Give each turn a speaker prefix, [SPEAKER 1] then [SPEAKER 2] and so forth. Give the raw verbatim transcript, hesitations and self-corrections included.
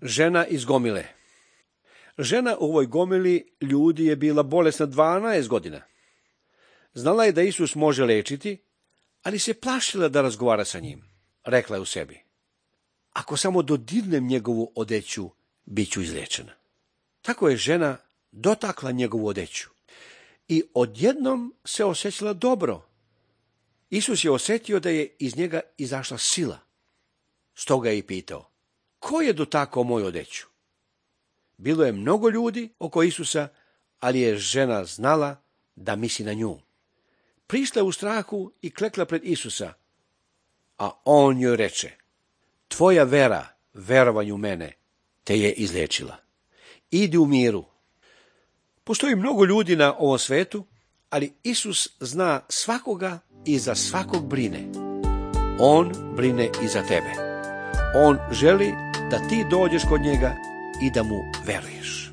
[SPEAKER 1] Žena iz gomile. Žena u ovoj gomili ljudi je bila bolesna dvanaest godina. Znala je da Isus može lečiti, ali se plašila da razgovara sa njim. Rekla je u sebi: ako samo dodirnem njegovu odeću, bit ću izliječena. Tako je žena dotakla njegovu odeću i odjednom se osjećala dobro. Isus je osjetio da je iz njega izašla sila. Stoga je i pitao: ko je dotakao moju odeću? Bilo je mnogo ljudi oko Isusa, ali je žena znala da misli na nju. Prišla je u strahu i klekla pred Isusa, a on joj reče: tvoja vera, verovanju mene, te je izliječila. Idi u miru. Postoji mnogo ljudi na ovom svetu, ali Isus zna svakoga i za svakog brine. On brine i za tebe. On želi da ti dođeš kod njega i da mu veruješ.